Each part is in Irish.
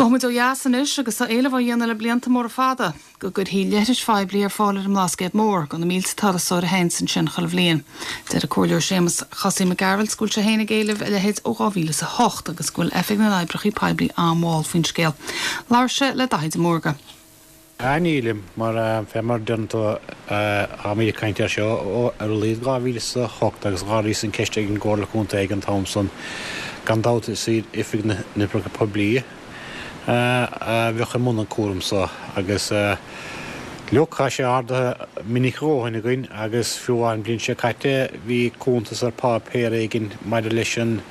Gabhfaidh muid ó dheas anois agus tá éileamh á dhéanamh le blianta móra fada go gcuirfí leithris phoiblí ar fáil ar an mBlascaod Mór do na mílte turasóir a théanns ansin chuile bhliain. Deir an Comhairleoir Séamus Chosaí Mac Gearailt go bhfuil sé féin ag éileamh a leithéid ó 2008 agus go bhfuil Oifig na nOibreacha Poiblí an-mhall faoin scéal. Labhair sé le Daithí de Mórdha. Ah nílim, mar fé mar deireann tú táimid ag caint air seo ó ar a laghad 2008 agus dh'ardaíos an ceist ag an gComhairle Contae ag an t-am san. Gan dabht is iad Oifig na nOibreacha Poiblí a bheadh i mbun an cúram so agus look tá sé ardaithe minic a dhóthain againn agus fiú amháin an bhliain seo caite bhí cuntas ar pháipéar éigin maidir leis an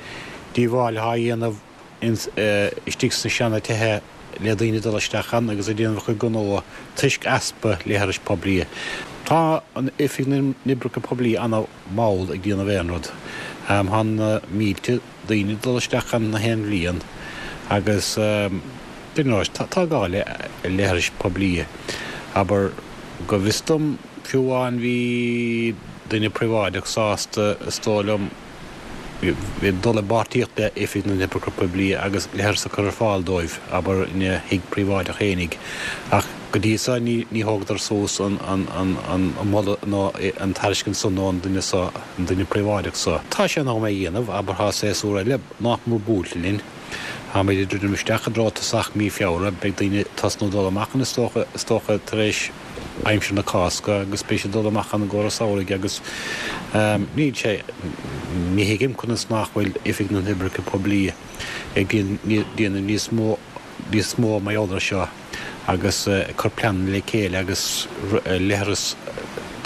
díobháil atá á dhéanamh istigh sna seana tithe le daoine dul isteach ann agus ag déanamh a chuid gnó toisc easpa leithris poiblí. Tá an Oifig na nOibreacha Poiblí ana mhall ag déanamh aon rud. Tá na mílte daoine ag dul isteach ann na haon bhliain agus you know tá gá le leithris poiblí. Abair, go bhfios dom fiú amháin bhí duine príobháideach sásta is dóigh liom, bhí dul i bpáirtíocht le Oifig na nOibreacha Poiblí agus leithreas a chur ar fáil dóibh, abair, ina thigh príobháideach fhéinig. Ach go dtí so ní thógadar suas an moladh nó an tairiscint san ón duine so, an duine príobháideach so. Tá sé in am é a dhéanamh, abair, tá séasúr eile nách mór buailte linn. Táimid ag druidim isteach i dtreo tosach mí Feabhra, beidh daoine ag tosnú dul amach ann is dócha, is dócha tar éis aimsir na Cásca agus beidh siad ag dul amach ann i gcomhair an samhraidh agus níl sé, ní thuigim conas nach bhfuil Oifig na nOibreacha Poiblí ag déanamh níos mó, níos mó mar gheall air seo agus ag cur pleananna le chéile agus leithreas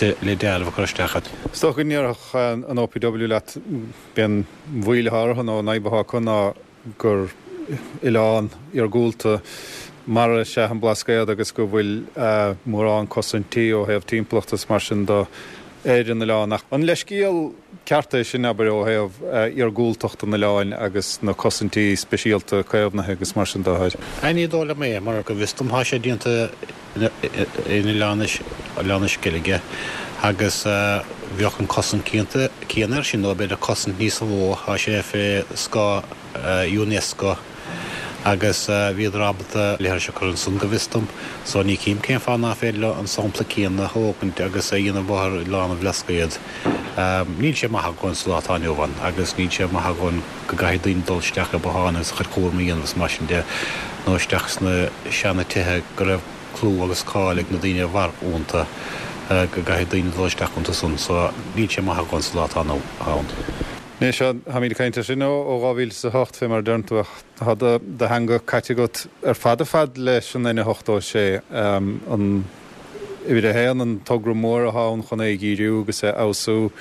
le dealramh a chur isteach ann. Is dócha go ndéarfadh an OPW leat, b'é an mhoill atá orthu nó an fhadhb atá acu ná gur oileán iargúlta mara is ea an Blascaod agus go bhfuil mórán cosaintí ó thaobh timpeallachta is mar sin de ar an oileán. Ach an leithscéal ceart é sin, abair, ó thaobh iargúltacht an oileáin agus na cosaintí speisialta caomhnaithe agus mar sin de? Ní dóigh liom é, mar go bhfios dom tá sé déanta in Oileán na Sceilge agus bheadh an cosaint céanna air sin nó b'fhéidir cosaint níos mó, tá sé fé scáth Unesco agus bhíodar ábalta leithris a chur ansan go bhfios dom so ní chím cén fáth ná féidir leo an sampla céanna a thógaint agus a dhéanamh ar Oileán an Bhlascaoid. Níl sé maith a dhóthain sa lá atá inniu ann agus níl sé maith a dhóthain go gcaithfidh daoine dul isteach i botháin agus a chuid cúram a dhéanamh is mar sin de, nó isteach sna seana tithe go raibh clú agus cáil ag na daoine a mhair iontu, go gcaithfidh daoine dul isteach iontu san. So, níl sé maith a dhóthain sa lá atá inniu ann. Anois, táimid ag caint air sin ó 2008, fé mar a deireann tú, ach tá do theanga caite agat ar fad ar fad leis an N86, an uimhir a haon, an togra mór atá ann chun é a dhíriú agus é a fheabhsú.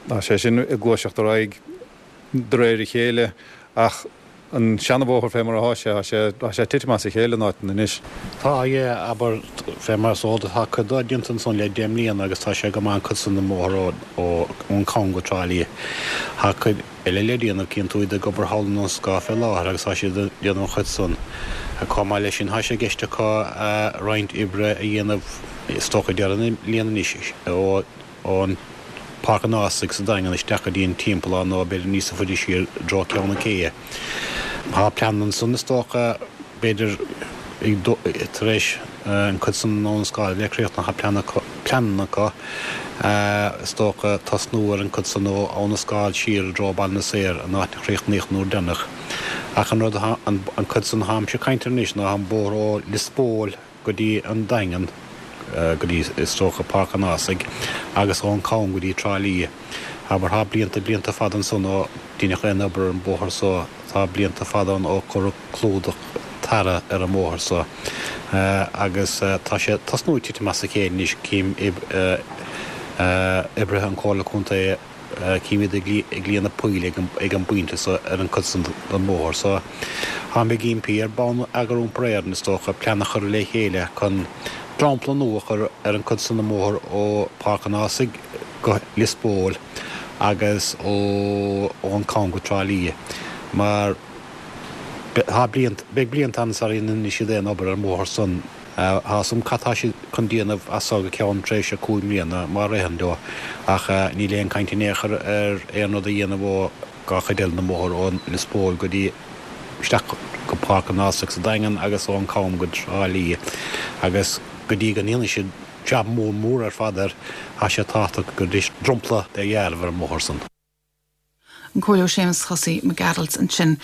Tá sé sin ag gluaiseacht ar aghaidh. de réir a chéile, ach an seanabhóthar fé mar atá sé, tá sé, tá sé ag titim as a chéile in áiteanna anois. Tá, yeah, abair, fé mar is eol duit, tá cuid dó déanta ansan le 10 mbliana agus tá sé go maith an cuid san den mbóthar ó, ón Cam go Trá Lí. Tá cuid eile le déanamh, cíonn tú iad ag obair thall in Abhainn an Scáil fé láthair agus tá siad ag déanamh an chuid san. Chomh maith leis sin, tá sé i gceist acu roinnt oibre a dhéanamh, is dócha deireadh na bliana anois, ó, ón Páirc an Ághasaigh sa Daingean isteach go dtí an Timpeallán nó b'fhéidir níosa faide siar i dtreo Ceann na Céidhe. Tá plean ansan is dócha, b'fhéidir tar éis an cuid san den Abhainn an Scáil a bheith críochnaithe, tá plean acu, pleananna acu is dócha tosnú ar an cuid san ó Abhainn an Scáil siar i dtreo Baile na Saor, an áit a chríochnaíodh an uair deireanach. Ach an rud atá, an cuid san atáimse ag caint air anois ná an bóthar ó Lios Póil, go dtí an Daingean, go dtí, is dócha, Páirc an Ághasaigh, agus ón Cam go dtí Trá Lí. Abair, tá blianta, blianta fada ansan ó deineadh aon obair ar an bóthar so, tá blianta fada ann ó cuireadh clúdach tarra ar an mbóthar so, agus tá sé ag tosnú ag titim as a chéile anois, cím oibrithe an Comhairle Contae, Cím iad ag líonadh poill ag an bpointe so ar an cuid san den mbóthar so. Táim ag impí ar Bonneagar Iompair Éireann, is dócha, plean a chur le chéile chun dromchla nua a chur ar an cuid san den mbóthar ó Páirc an Ághasaigh go Lios Póil agus ó ón Cam go Trá Lí mar tá blianta, beidh blianta ann sara ndéanfaidh siad aon obair ar an mbóthar san. Tá 'fhios a'm cad tá siad chun déanamh as so go ceann tréimhse 5 mbliana, má ritheann leo, ach níl aon chaint in aon chor ar aon rud a dhéanamh ó dhá chuid eile den mbóthar, ó Lios Póil go dtí isteach go Páirc an Ághasaigh sa Daingean agus ón gCam go Trá Lí agus go dtí go ndéanfaidh siad jab mór mór ar fad air, tá sé tábhachtach go gcuirfidís dromchla dhearbh ar an mbóthar san. An Comhairleoir Séamus Chosaí Mac Gearailt ansin.